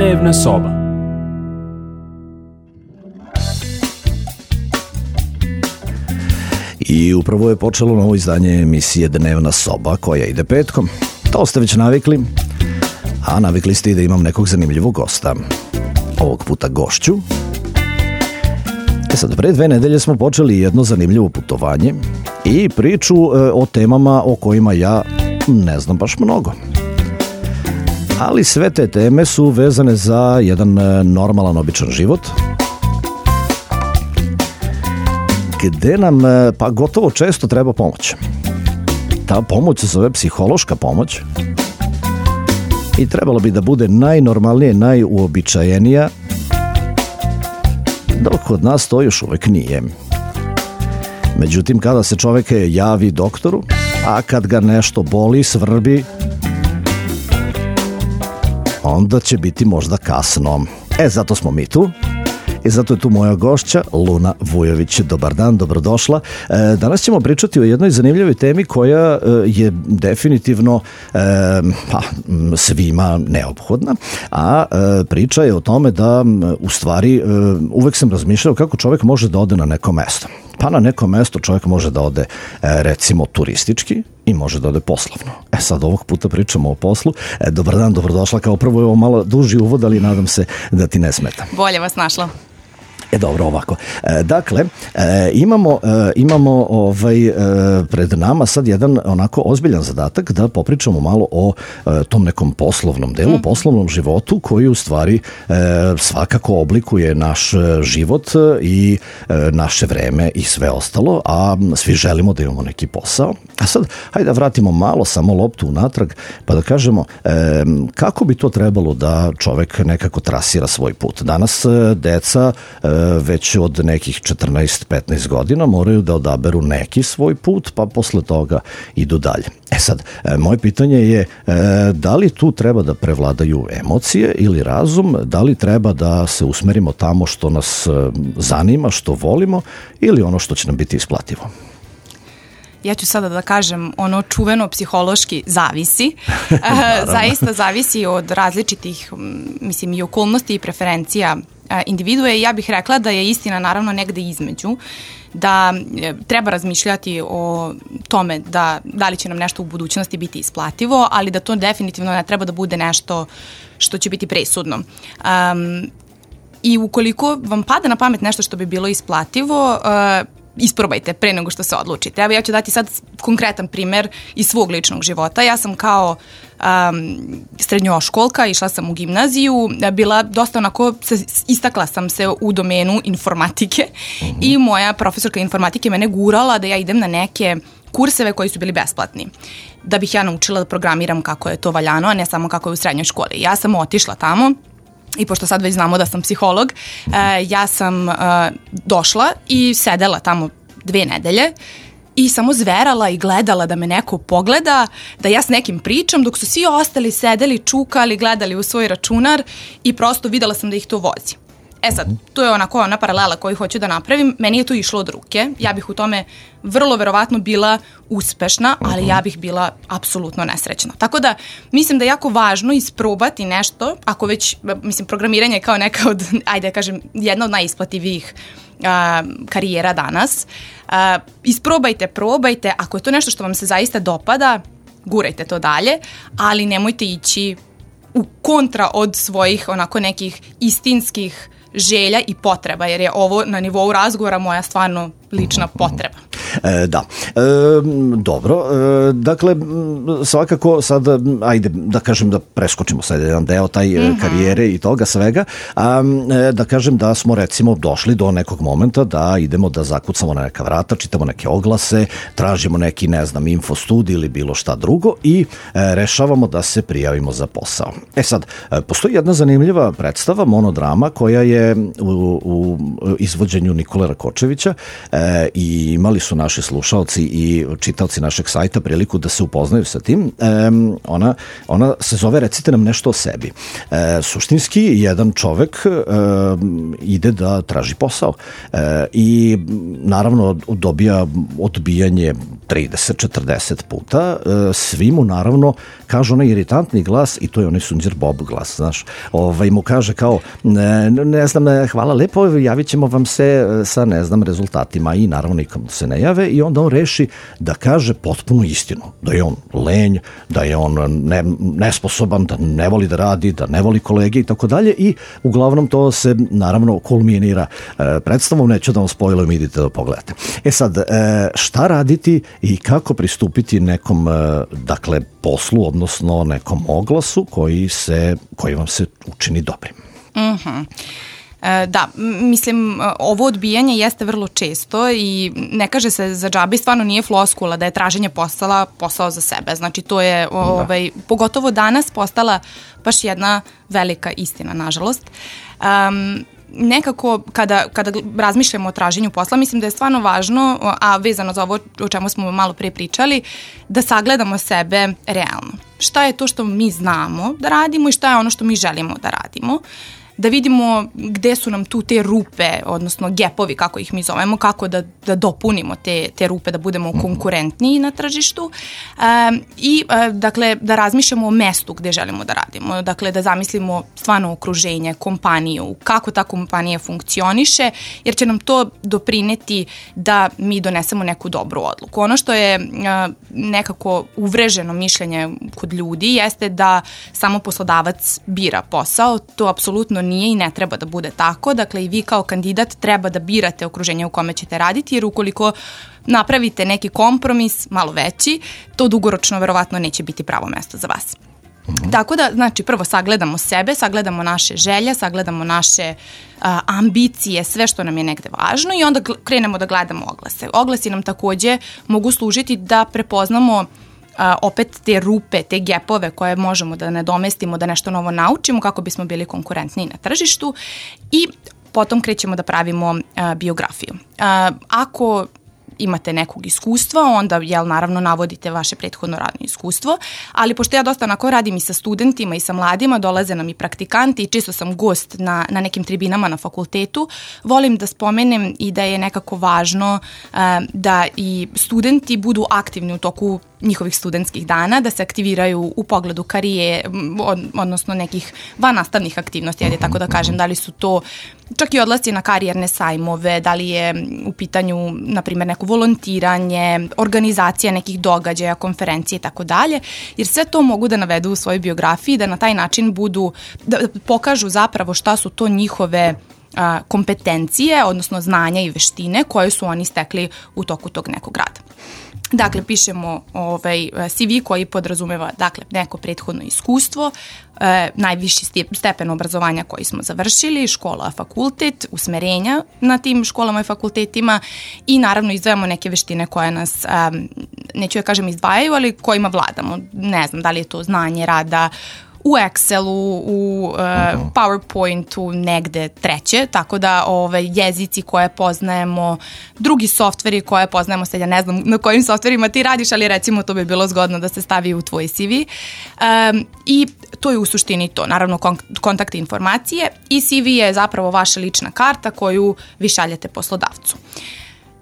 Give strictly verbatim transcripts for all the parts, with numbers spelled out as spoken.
Dnevna soba. I upravo je počelo novo izdanje emisije Dnevna soba koja ide petkom. To ste već navikli, a navikli ste i da imam nekog zanimljivog gosta. Ovog puta gošću. E sad, pre dve nedelje smo počeli jedno zanimljivo putovanje i priču e, o temama o kojima ja ne znam baš mnogo. Ali sve te teme su vezane za jedan e, normalan, običan život, gde nam e, pa gotovo često treba pomoć. Ta pomoć se zove psihološka pomoć i trebalo bi da bude najnormalnije, najuobičajenija, dok kod nas to još uvek nije. Međutim, kada se čovek javi doktoru, a kad ga nešto boli, svrbi, onda će biti možda kasno. E, zato smo mi tu. I zato je tu moja gošća, Luna Vujović. Dobar dan, dobrodošla. E, danas ćemo pričati o jednoj zanimljivoj temi koja e, je definitivno e, pa, svima neophodna, a e, priča je o tome da u stvari e, uvek sam razmišljao kako čovjek može da ode na neko mesto. Pa na neko mesto čovjek može da ode e, recimo turistički i može da ode poslovno. E sad ovog puta pričamo o poslu. E, dobar dan, dobrodošla. Kao prvo je ovo malo duži uvod, ali nadam se da ti ne smeta. Bolje vas našla. E dobro, ovako. E, dakle, e, imamo, e, imamo ovaj, e, pred nama sad jedan onako ozbiljan zadatak da popričamo malo o e, tom nekom poslovnom delu, mm. poslovnom životu koji u stvari e, svakako oblikuje naš život i e, naše vreme i sve ostalo, a svi želimo da imamo neki posao. A sad, hajde da vratimo malo samo loptu unatrag, pa da kažemo e, kako bi to trebalo da čovek nekako trasira svoj put. Danas e, deca e, već od nekih četrnaest petnaest godina moraju da odaberu neki svoj put, pa posle toga idu dalje. E sad, moje pitanje je da li tu treba da prevladaju emocije ili razum, da li treba da se usmerimo tamo što nas zanima, što volimo ili ono što će nam biti isplativo? Ja ću sada da kažem ono čuveno psihološki zavisi. Zaista zavisi od različitih, mislim, i okolnosti i preferencija individue. Ja bih rekla da je istina naravno negde između, da treba razmišljati o tome da, da li će nam nešto u budućnosti biti isplativo, ali da to definitivno ne treba da bude nešto što će biti presudno. Um, I ukoliko vam pada na pamet nešto što bi bilo isplativo, uh, isprobajte pre nego što se odlučite. Evo, ja ću dati sad konkretan primer iz svog ličnog života. Ja sam kao um, srednjoškolka, išla sam u gimnaziju, bila dosta onako, istakla sam se u domenu informatike uh-huh. i moja profesorka informatike mene gurala da ja idem na neke kurseve koji su bili besplatni, da bih ja naučila da programiram kako je to valjano, a ne samo kako je u srednjoj školi. Ja sam otišla tamo i pošto sad već znamo da sam psiholog, uh, ja sam uh, došla i sedela tamo dve nedelje i samo zverala i gledala da me neko pogleda, da ja s nekim pričam, dok su svi ostali sedeli, čukali, gledali u svoj računar i prosto videla sam da ih to vozi. E sad, to je onako ona paralela koju hoću da napravim. Meni je to išlo od ruke. Ja bih u tome vrlo verovatno bila uspešna, ali ja bih bila apsolutno nesrećna. Tako da mislim da je jako važno isprobati nešto, ako već, mislim, programiranje je kao neka od, ajde da kažem, jedna od najisplativijih a, karijera danas. A, isprobajte, probajte. Ako je to nešto što vam se zaista dopada, gurajte to dalje, ali nemojte ići u kontra od svojih onako nekih istinskih želja i potreba, jer je ovo na nivou razgovora moja stvarno lična potreba. E, da, e, dobro, e, dakle svakako sad, ajde da kažem da preskočimo sad jedan deo taj mm-hmm. karijere i toga svega, a e, da kažem da smo recimo došli do nekog momenta da idemo da zakucamo na neka vrata, čitamo neke oglase, tražimo neki, ne znam, info studij ili bilo šta drugo i e, rešavamo da se prijavimo za posao. E sad, e, postoji jedna zanimljiva predstava, monodrama, koja je u, u izvođenju Nikole Rakočevića, e, e, i imali su naši slušaoci i čitaoci našeg sajta priliku da se upoznaju sa tim. E, ona, ona se zove Recite nam nešto o sebi. E, suštinski, jedan čovek e, ide da traži posao e, i naravno dobija odbijanje trideset četrdeset puta. E, svi mu naravno kažu onaj iritantni glas, i to je onaj Sunđer Bob glas, znaš, ovaj mu kaže kao, ne, ne znam, hvala lepo, javit ćemo vam se sa, ne znam, rezultatima, i naravno nikom se ne jave, i onda on reši da kaže potpuno istinu, da je on lenj, da je on ne, nesposoban, da ne voli da radi, da ne voli kolege i tako dalje, i uglavnom to se naravno kulminira e, predstavom, neću da vam spojlujem, idite da pogledate. E sad, e, šta raditi i kako pristupiti nekom, e, dakle, poslu, odnosno nekom oglasu koji se, koji vam se učini dobrim? Mhm. E, da, mislim, ovo odbijanje jeste vrlo često i ne kaže se za džabe, stvarno nije floskula da je traženje posla posao za sebe. Znači, to je, ovaj, da. pogotovo danas, postala baš jedna velika istina, nažalost. Um, nekako kada, kada razmišljamo o traženju posla, mislim da je stvarno važno, a vezano za ovo o čemu smo malo pre pričali, da sagledamo sebe realno. Šta je to što mi znamo da radimo i šta je ono što mi želimo da radimo. Da vidimo gde su nam tu te rupe, odnosno gepovi, kako ih mi zovemo, kako da, da dopunimo te, te rupe, da budemo konkurentniji na tržištu um, i uh, dakle da razmišljamo o mestu gde želimo da radimo, dakle da zamislimo stvarno okruženje, kompaniju, kako ta kompanija funkcioniše, jer će nam to doprineti da mi donesemo neku dobru odluku. Ono što je uh, nekako uvreženo mišljenje kod ljudi jeste da samo poslodavac bira posao, to apsolutno nije i ne treba da bude tako. Dakle, i vi kao kandidat treba da birate okruženje u kome ćete raditi, jer ukoliko napravite neki kompromis malo veći, to dugoročno verovatno neće biti pravo mesto za vas. Mm-hmm. Tako da, znači, prvo sagledamo sebe, sagledamo naše želje, sagledamo naše a, ambicije, sve što nam je negde važno, i onda krenemo da gledamo oglase. Oglasi nam takođe mogu služiti da prepoznamo Uh, opet te rupe, te gepove koje možemo da nadomestimo, da nešto novo naučimo kako bismo bili konkurentniji na tržištu, i potom krećemo da pravimo uh, biografiju. Uh, ako imate nekog iskustva, onda, jel, naravno navodite vaše prethodno radno iskustvo, ali pošto ja dosta onako radim i sa studentima i sa mladima, dolaze nam i praktikanti i čisto sam gost na, na nekim tribinama na fakultetu, volim da spomenem i da je nekako važno uh, da i studenti budu aktivni u toku njihovih studentskih dana, da se aktiviraju u pogledu karije, od, odnosno nekih vannastavnih aktivnosti, ajde tako da kažem, da li su to čak i odlasci na karijerne sajmove, da li je u pitanju, na primjer, neko volontiranje, organizacija nekih događaja, konferencije i tako dalje, jer sve to mogu da navedu u svojoj biografiji, da na taj način budu, da pokažu zapravo šta su to njihove a, kompetencije, odnosno znanja i veštine koje su oni stekli u toku tog nekog rada. Dakle, pišemo ovaj C V koji podrazumeva, dakle, neko prethodno iskustvo, e, najviši stepen obrazovanja koji smo završili, škola, fakultet, usmerenja na tim školama i fakultetima, i naravno izdvajamo neke veštine koje nas, um, neću da kažem izdvajaju, ali kojima vladamo. Ne znam, da li je to znanje rada u Excelu, u uh, PowerPointu, negde treće, tako da ove, jezici koje poznajemo, drugi softveri koje poznajemo, sad ja ne znam na kojim softverima ti radiš, ali recimo to bi bilo zgodno da se stavi u tvoj C V. Um, I to je u suštini to, naravno kon- kontakt informacije, i C V je zapravo vaša lična karta koju vi šaljete poslodavcu.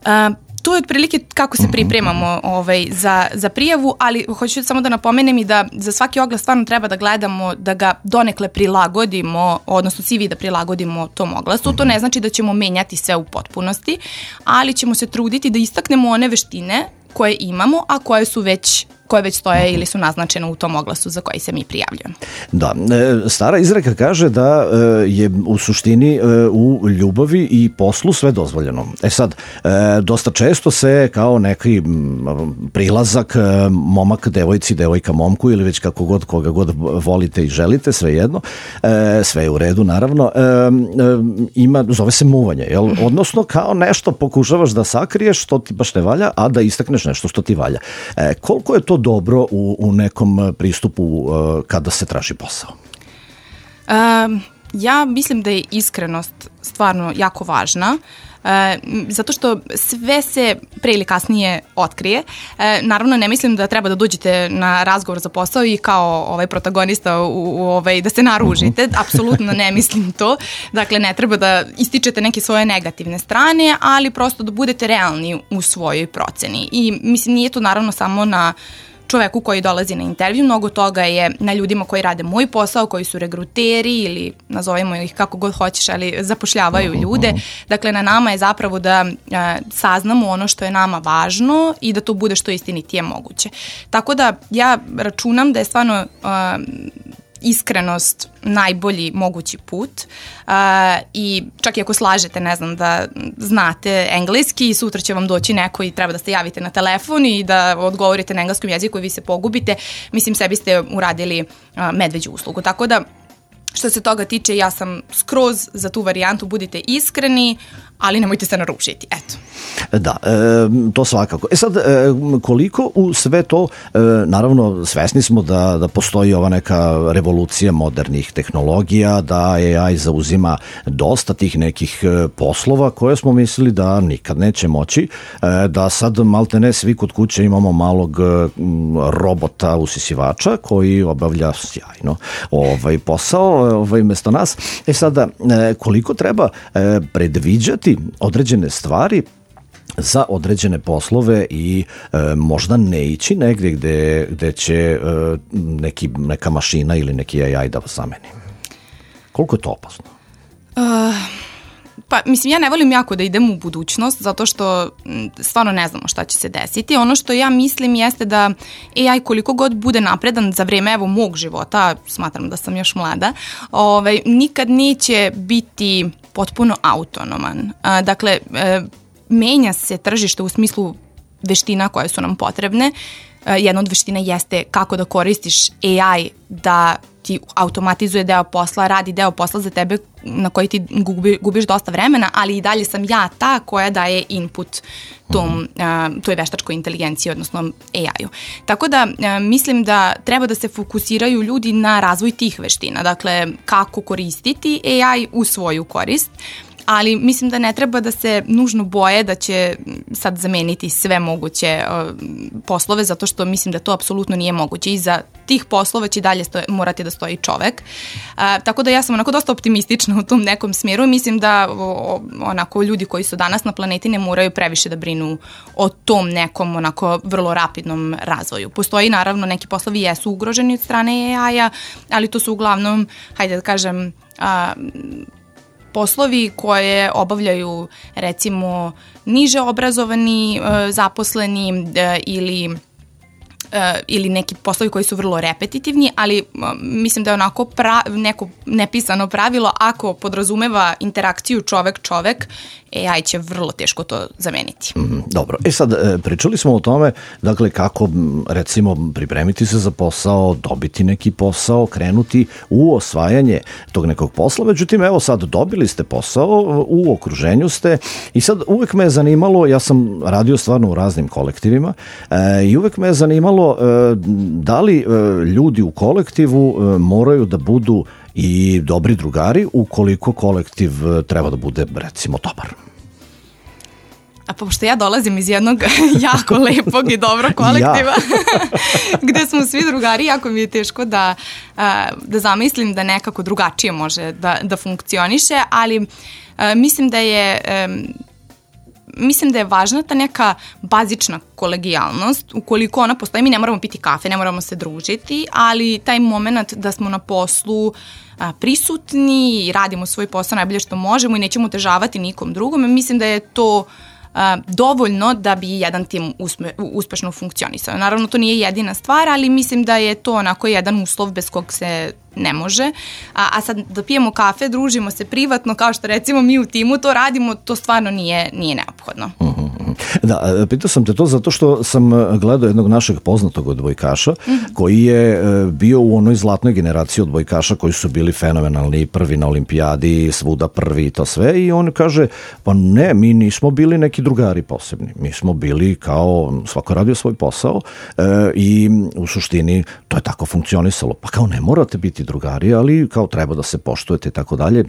Um, To je otprilike kako se pripremamo ovaj, za, za prijavu, ali hoću samo da napomenem i da za svaki oglas stvarno treba da gledamo da ga donekle prilagodimo, odnosno C V da prilagodimo tom oglasu. To ne znači da ćemo menjati sve u potpunosti, ali ćemo se truditi da istaknemo one veštine koje imamo, a koje su već koje već stoje ili su naznačene u tom oglasu za koji se mi prijavljujemo. Da, stara izreka kaže da je u suštini u ljubavi i poslu sve dozvoljeno. E sad, dosta često se kao neki prilazak momak devojci, devojka momku, ili već kako god, koga god volite i želite, sve jedno, sve je u redu naravno, ima, zove se muvanje, jel? Odnosno kao nešto pokušavaš da sakriješ što ti baš ne valja, a da istakneš nešto što ti valja. Koliko je to dobro u, u nekom pristupu uh, kada se traži posao? Um, ja mislim da je iskrenost stvarno jako važna. Uh, zato što sve se pre ili kasnije otkrije. Naravno, ne mislim da treba da dođete na razgovor za posao i kao ovaj protagonista u, u ovaj, da se naružite. Apsolutno ne mislim to. Dakle, ne treba da ističete neke svoje negativne strane, ali prosto da budete realni u svojoj proceni. I mislim, nije to naravno samo na čoveku koji dolazi na intervju, mnogo toga je na ljudima koji rade moj posao, koji su regruteri ili nazovemo ih kako god hoćeš, ali zapošljavaju ljude. Dakle, na nama je zapravo da a, saznamo ono što je nama važno i da to bude što istinitije moguće. Tako da ja računam da je stvarno a, iskrenost najbolji mogući put uh, i čak i ako slažete, ne znam, da znate engleski i sutra će vam doći neko i treba da se javite na telefon i da odgovorite na engleskom jeziku i vi se pogubite, mislim, sebi ste uradili uh, medveđu uslugu. Tako da, što se toga tiče, ja sam skroz za tu varijantu, budite iskreni, ali nemojte se narušiti, eto. Da, e, to svakako. E sad, e, koliko u sve to, e, naravno, svesni smo da, da postoji ova neka revolucija modernih tehnologija, da A I zauzima dosta tih nekih poslova koje smo mislili da nikad neće moći, e, da sad maltene svi kod kuće imamo malog robota usisivača koji obavlja sjajno ovaj posao ovaj, mesto nas. E sada, e, koliko treba e, predviđati određene stvari za određene poslove i e, možda ne ići negdje gde, gde će e, neki, neka mašina ili neki A I da vas zameni. Koliko je to opasno? Uh, pa, mislim, ja ne volim jako da idem u budućnost, zato što stvarno ne znamo šta će se desiti. Ono što ja mislim jeste da A I koliko god bude napredan za vreme evo mog života, smatram da sam još mlada, ovaj, nikad neće biti potpuno autonoman. Uh, dakle, uh, menja se tržište u smislu veština koje su nam potrebne. Jedna od veština jeste kako da koristiš A I da ti automatizuje deo posla, radi deo posla za tebe na koji ti gubi, gubiš dosta vremena, ali i dalje sam ja ta koja daje input tom, uh, toj veštačkoj inteligenciji, odnosno A I-u. Tako da uh, mislim da treba da se fokusiraju ljudi na razvoj tih veština, dakle kako koristiti A I u svoju korist, ali mislim da ne treba da se nužno boje da će sad zameniti sve moguće uh, poslove, zato što mislim da to apsolutno nije moguće. Iza tih poslova će dalje stoje, morati da stoji čovek. Uh, tako da ja sam onako dosta optimistična u tom nekom smjeru. Mislim da o, onako ljudi koji su danas na planeti ne moraju previše da brinu o tom nekom onako vrlo rapidnom razvoju. Postoji naravno neki poslovi jesu ugroženi od strane A I-a, ali to su uglavnom, hajde da kažem, uh, poslovi koje obavljaju recimo niže obrazovani e, zaposleni e, ili e, ili neki poslovi koji su vrlo repetitivni, ali e, mislim da je onako pra, neko nepisano pravilo, ako podrazumeva interakciju čovek-čovek, A I će vrlo teško to zameniti. Mm, dobro, e sad pričali smo o tome, dakle kako recimo pripremiti se za posao, dobiti neki posao, krenuti u osvajanje tog nekog posla, međutim evo sad dobili ste posao, u okruženju ste i sad uvek me je zanimalo, ja sam radio stvarno u raznim kolektivima e, i uvek me je zanimalo e, da li e, ljudi u kolektivu e, moraju da budu i dobri drugari ukoliko kolektiv treba da bude, recimo, dobar. A pošto ja dolazim iz jednog jako lepog i dobrog kolektiva, ja. gde smo svi drugari, jako mi je teško da, da zamislim da nekako drugačije može da, da funkcioniše, ali mislim da je... Mislim da je važna ta neka bazična kolegijalnost. Ukoliko ona postoji, mi ne moramo piti kafe, ne moramo se družiti, ali taj moment da smo na poslu a, prisutni i radimo svoj posao najbolje što možemo i nećemo otežavati nikom drugom, mislim da je to a, dovoljno da bi jedan tim uspe, uspešno funkcionisao. Naravno, to nije jedina stvar, ali mislim da je to onako jedan uslov bez kog se ne može. A, a sad da pijemo kafe, družimo se privatno, kao što recimo mi u timu to radimo, to stvarno nije, nije neophodno. Uh-huh. Da, pitao sam te to zato što sam gledao jednog našeg poznatog odbojkaša uh-huh. koji je bio u onoj zlatnoj generaciji odbojkaša koji su bili fenomenalni, prvi na olimpijadi, svuda prvi i to sve, i on kaže, pa ne, mi nismo bili neki drugari posebni, mi smo bili kao, svako radio svoj posao e, i u suštini to je tako funkcionisalo, pa kao ne morate biti drugari, ali kao treba da se poštujete i tako dalje.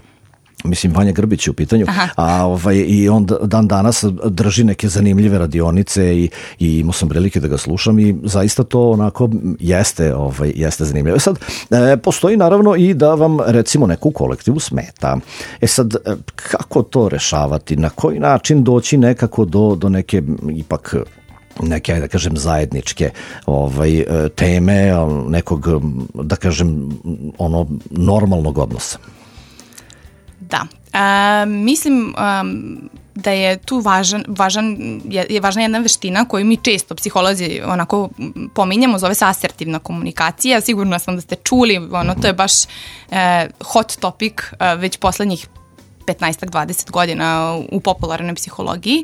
mislim Vanja Grbić je u pitanju, a ovaj, i on dan danas drži neke zanimljive radionice i, i imao sam prilike da ga slušam i zaista to onako jeste, ovaj, jeste zanimljivo. Sad, e, postoji naravno i da vam recimo neku kolektivu smeta. E sad, kako to rešavati? Na koji način doći nekako do, do neke ipak neke, da kažem, zajedničke ovaj, teme, nekog, da kažem, ono, normalnog odnosa? Da, e, mislim um, da je tu važan, važan, je, je važna jedna veština koju mi često psiholozi onako pominjamo, zove se asertivna komunikacija. Sigurno sam da ste čuli, ono, to je baš e, hot topic e, već poslednjih petnaest dvadeset godina u popularnoj psihologiji,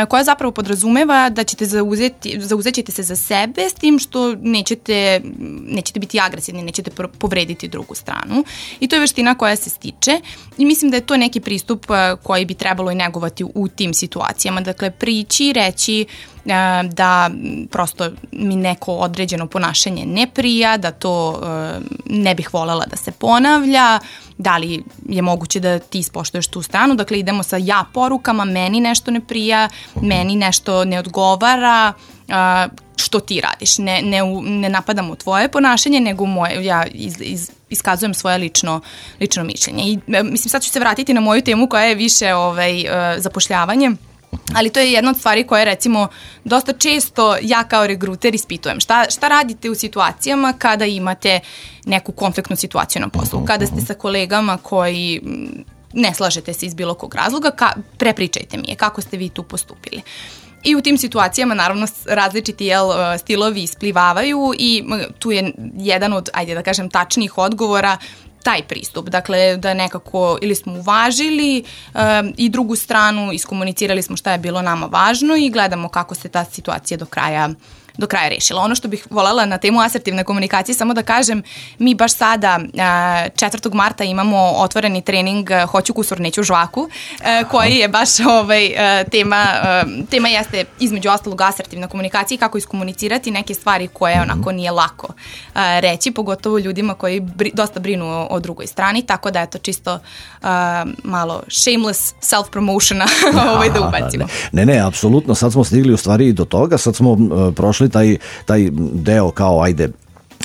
koja zapravo podrazumeva da ćete zauzeti, zauzet ćete se za sebe s tim što nećete, nećete biti agresivni, nećete povrediti drugu stranu. I to je veština koja se stiče i mislim da je to neki pristup koji bi trebalo i negovati u tim situacijama. Dakle, prići, reći da prosto mi neko određeno ponašanje ne prija, da to ne bih volela da se ponavlja, da li je moguće da ti ispoštuješ tu stranu. Dakle, idemo sa ja porukama, meni nešto ne prija, meni nešto ne odgovara, što ti radiš. Ne, ne, ne napadamo tvoje ponašanje, nego moje, ja iz, iz, iskazujem svoje lično, lično mišljenje. I mislim, sad ću se vratiti na moju temu koja je više ovaj, zapošljavanje. Ali to je jedna od stvari koje, recimo, dosta često ja kao regruter ispitujem. Šta, šta radite u situacijama kada imate neku konfliktnu situaciju na poslu? Kada ste sa kolegama koji ne slažete se iz bilo kog razloga, ka, prepričajte mi je kako ste vi tu postupili. I u tim situacijama, naravno, različiti jel, stilovi isplivavaju i tu je jedan od, ajde da kažem, tačnijih odgovora taj pristup, dakle da nekako ili smo uvažili um, i drugu stranu, iskomunicirali smo šta je bilo nama važno i gledamo kako se ta situacija do kraja do kraja rešila. Ono što bih voljela na temu asertivne komunikacije, samo da kažem, mi baš sada četvrtog marta imamo otvoreni trening Hoću kusur, neću žvaku, koji je baš ovaj, tema, tema jeste između ostalog asertivna komunikacija i kako iskomunicirati neke stvari koje onako nije lako reći, pogotovo ljudima koji bri, dosta brinu o, o drugoj strani, tako da je to čisto uh, malo shameless self-promotiona ovaj, da ubacimo. Ne, ne, apsolutno, sad smo stigli u stvari do toga, sad smo uh, prošli taj, taj deo kao ajde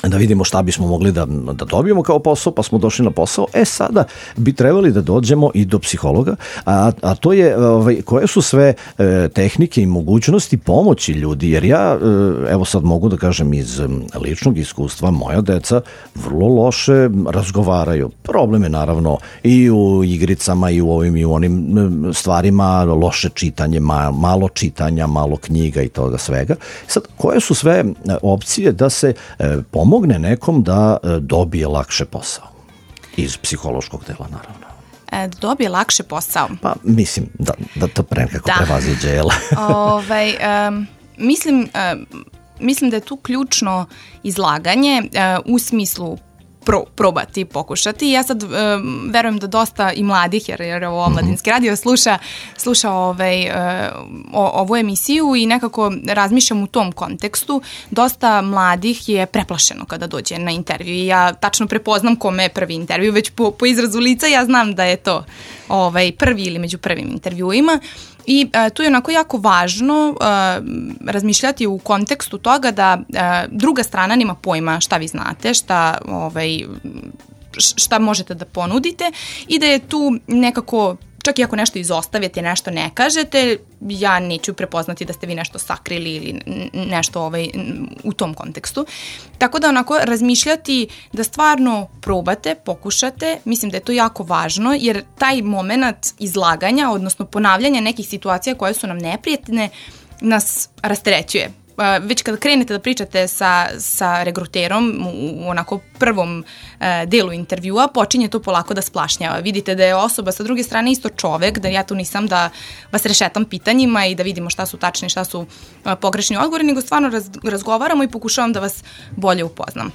da vidimo šta bismo mogli da, da dobijemo kao posao, pa smo došli na posao. E sada bi trebali da dođemo i do psihologa, a, a to je ovaj, koje su sve e, tehnike i mogućnosti pomoći ljudi, jer ja e, evo sad mogu da kažem iz ličnog iskustva, moja deca vrlo loše razgovaraju. Problem je naravno i u igricama i u ovim i u onim stvarima, loše čitanje, ma, malo čitanja, malo knjiga i toga svega. Sad, koje su sve opcije da se e, pomogne nekom da dobije lakše posao? Iz psihološkog dela, naravno. E, dobije lakše posao? Pa, mislim, da, da to pre nekako da. prevaziđe, jel? ovaj, um, mislim, um, mislim da je tu ključno izlaganje uh, u smislu Pro, probati, pokušati. Ja sad um, verujem da dosta i mladih, jer, jer ovo omladinski radio sluša, sluša ovaj, uh, o, ovu emisiju i nekako razmišljam u tom kontekstu. Dosta mladih je preplašeno kada dođe na intervju i ja tačno prepoznam kome je prvi intervju, već po, po izrazu lica ja znam da je to ovaj, prvi ili među prvim intervjuima. I uh, tu je onako jako važno uh, razmišljati u kontekstu toga da uh, druga strana nema pojma šta vi znate, šta, ovaj, šta možete da ponudite i da je tu nekako, čak i ako nešto izostavite, nešto ne kažete, ja neću prepoznati da ste vi nešto sakrili ili nešto ovaj, u tom kontekstu. Tako da onako razmišljati da stvarno probate, pokušate, mislim da je to jako važno jer taj moment izlaganja, odnosno ponavljanja nekih situacija koje su nam neprijatne, nas rasterećuje. Već kada krenete da pričate sa, sa regruterom u onako prvom e, delu intervjua, počinje to polako da splašnjava. Vidite da je osoba sa druge strane isto čovek, da ja tu nisam da vas rešetam pitanjima i da vidimo šta su tačni, šta su e, pogrešni odgovori, nego stvarno raz, razgovaramo i pokušavam da vas bolje upoznam.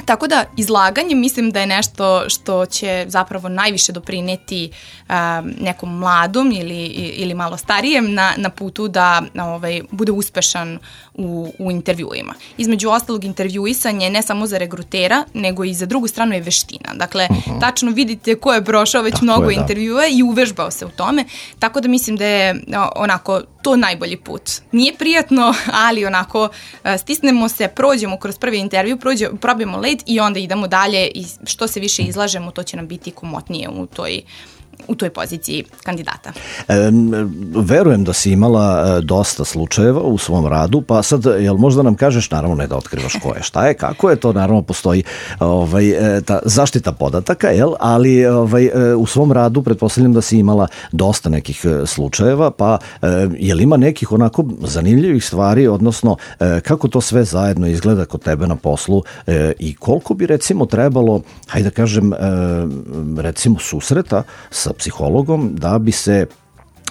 Tako da izlaganje mislim da je nešto što će zapravo najviše doprineti um, nekom mladom ili, ili malo starijem na, na putu da ovaj, bude uspešan u, u intervjuima. Između ostalog, intervjuisanje ne samo za regrutera, nego i za drugu stranu je veština. Dakle, uh-huh. tačno vidite ko je prošao već Tako mnogo je, intervjua i uvežbao se u tome, tako da mislim da je onako to najbolji put. Nije prijatno, ali onako stisnemo se, prođemo kroz prvi intervju, prođemo, probijemo led i onda idemo dalje i što se više izlažemo, to će nam biti komotnije u toj u toj poziciji kandidata. E, verujem da si imala dosta slučajeva u svom radu, pa sad, jel možda nam kažeš, naravno ne da otkrivaš ko je, šta je, kako je to, naravno postoji ovaj, ta zaštita podataka, jel, ali ovaj, u svom radu pretpostavljam da si imala dosta nekih slučajeva, pa jel ima nekih onako zanimljivih stvari, odnosno kako to sve zajedno izgleda kod tebe na poslu i koliko bi recimo trebalo, hajde da kažem, recimo susreta sa psihologom da bi se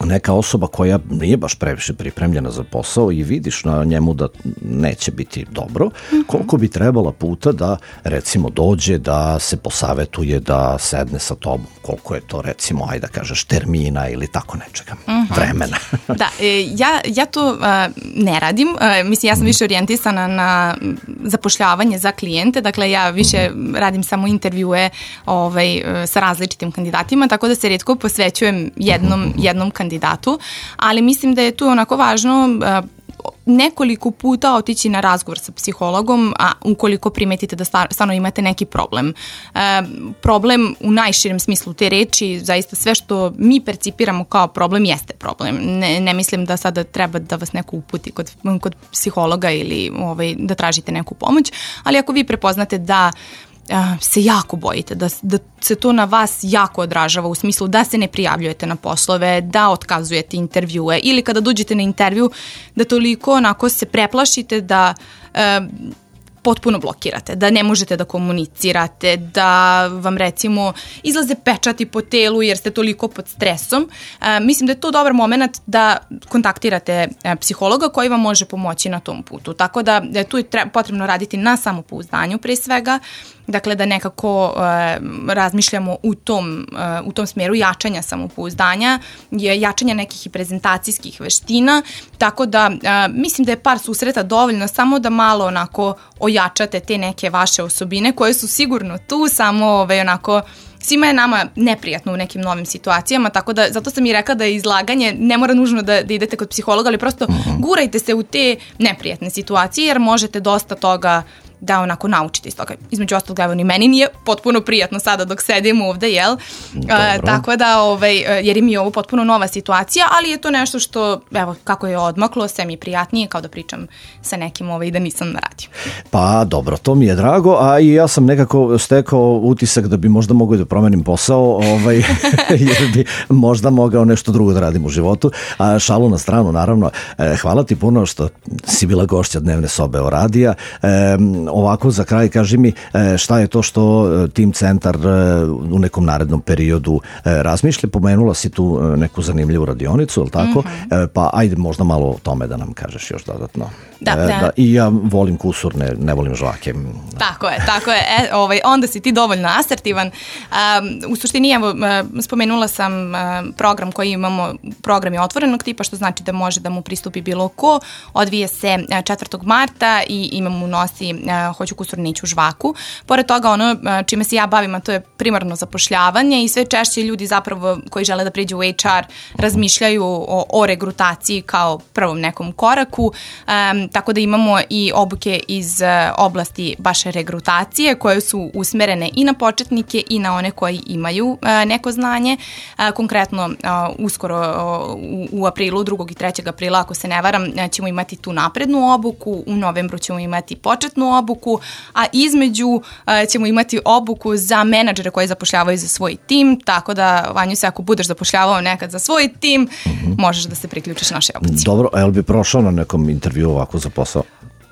neka osoba koja nije baš previše pripremljena za posao i vidiš na njemu da neće biti dobro, koliko bi trebala puta da recimo dođe, da se posavetuje, da sedne sa tobom, koliko je to recimo, ajde da kažeš, termina ili tako nečega, uh-huh. vremena. Da, e, ja, ja to uh, ne radim, uh, mislim ja sam više orijentisana na zapošljavanje za klijente, dakle ja više uh-huh. radim samo intervjue ovaj, sa različitim kandidatima, tako da se rijetko posvećujem jednom, uh-huh. jednom kandidatu, ali mislim da je tu onako važno uh, nekoliko puta otići na razgovor sa psihologom, a ukoliko primetite da stvarno imate neki problem. E, problem u najširem smislu te reči, zaista sve što mi percipiramo kao problem jeste problem. Ne, ne mislim da sada treba da vas neko uputi kod, kod psihologa ili ovaj, da tražite neku pomoć, ali ako vi prepoznate da se jako bojite, da, da se to na vas jako odražava u smislu da se ne prijavljujete na poslove, da otkazujete intervjue ili kada dođete na intervju da toliko onako se preplašite da e, potpuno blokirate, da ne možete da komunicirate, da vam recimo izlaze pečati po telu jer ste toliko pod stresom. E, mislim da je to dobar moment da kontaktirate e, psihologa koji vam može pomoći na tom putu. Tako da, da tu je tre, potrebno raditi na samopouzdanju pre svega, dakle da nekako e, razmišljamo u tom, e, u tom smjeru jačanja samopouzdanja, jačanja nekih i prezentacijskih veština, tako da e, mislim da je par susreta dovoljno samo da malo onako ojačate te neke vaše osobine koje su sigurno tu, samo ovaj, onako svima je nama neprijatno u nekim novim situacijama, tako da zato sam i rekla da je izlaganje ne mora nužno da, da idete kod psihologa, ali prosto uh-huh. gurajte se u te neprijatne situacije jer možete dosta toga da onako naučite iz toga. Između ostalog, evo ni meni nije potpuno prijatno sada dok sedim ovde, jel? A, tako da, ovaj, jer je mi ovo potpuno nova situacija, ali je to nešto što, evo, kako je odmaklo, sve mi je prijatnije kao da pričam sa nekim ovaj, da nisam na radiju. Pa dobro, to mi je drago, a i ja sam nekako stekao utisak da bi možda mogao da promenim posao, ovaj, jer bi možda mogao nešto drugo da radim u životu. A šalu na stranu, naravno, hvala ti puno što si bila gošća Dnevne sobe o radija. E, Ovako, za kraj, kaži mi šta je to što Tim Centar u nekom narednom periodu razmišlja. Pomenula si tu neku zanimljivu radionicu, je li tako? Mm-hmm. Pa ajde možda malo o tome da nam kažeš još dodatno. Da, da. da I ja volim kusur, ne, ne volim žvake. Tako je, tako je. E, ovaj, onda si ti dovoljno asertivan. Um, u suštini, evo, spomenula sam program koji imamo, program je otvorenog tipa, što znači da može da mu pristupi bilo ko. Odvije se četvrtog marta i imamo u nosi hoću kusur, neću žvaku. Pored toga, ono čime se ja bavim, a to je primarno zapošljavanje i sve češće ljudi zapravo koji žele da priđu u H R razmišljaju o, o regrutaciji kao prvom nekom koraku. Um, tako da imamo i obuke iz uh, oblasti baš regrutacije koje su usmerene i na početnike i na one koji imaju uh, neko znanje. Uh, konkretno, uh, uskoro uh, u, u aprilu, drugog i trećeg aprila, ako se ne varam, uh, ćemo imati tu naprednu obuku, u novembru ćemo imati početnu obuku, a između uh, ćemo imati obuku za menadžere koji zapošljavaju za svoj tim, tako da, Vanju, se ako budeš zapošljavao nekad za svoj tim, mm-hmm. možeš da se priključiš našoj obuci. Dobro, a jel bi prošao na nekom intervju ovako za posao?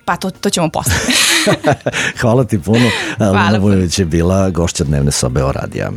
Pa to, to ćemo posle. Hvala ti puno. Luna Vujović je bila gošća Dnevne sobe o radija.